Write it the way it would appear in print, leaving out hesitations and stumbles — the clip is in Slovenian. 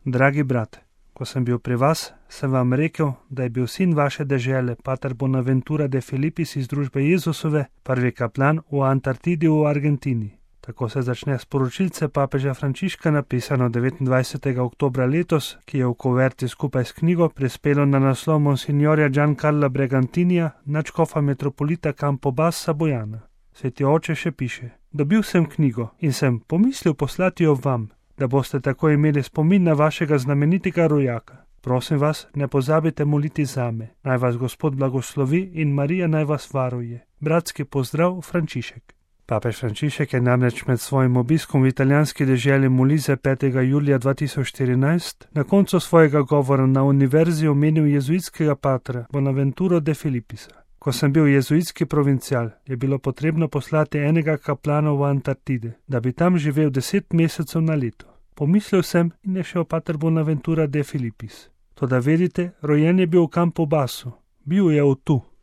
Dragi brat, ko sem bil pri vas, sem vam rekel, da je bil sin vaše dežele, pater Bonaventura de Filipis iz družbe Jezusove, prvi kaplan v Antarktidi v Argentini. Tako se začne sporočilce papeža Frančiška, napisano 29. oktobra letos, ki je v kuverti skupaj s knjigo prispelo na naslov Monsignorja Giancarla Bregantinija, nadškofa metropolita Campobassa Bojana. Sveti oče še piše: Dobil sem knjigo in sem pomislil poslati jo vam, da boste tako imeli spomin na vašega znamenitega rojaka. Prosim vas, ne pozabite moliti zame. Naj vas Gospod blagoslovi in Marija naj vas varuje. Bratski pozdrav, Frančišek. Papež Frančišek je namreč med svojim obiskom v italijanski deželi Molise 5. julija 2014 na koncu svojega govora na univerzi omenil jezuitskega patra Bonaventuro de Filipisa. Ko sem bil jezuitski provincial, je bilo potrebno poslati enega kaplana v Antarktide, da bi tam živel 10 mesecev na leto. Pomislil sem in je šel pater Bonaventura de Filipis. Toda vedite, rojen je bil v Campobassu, bil je tu.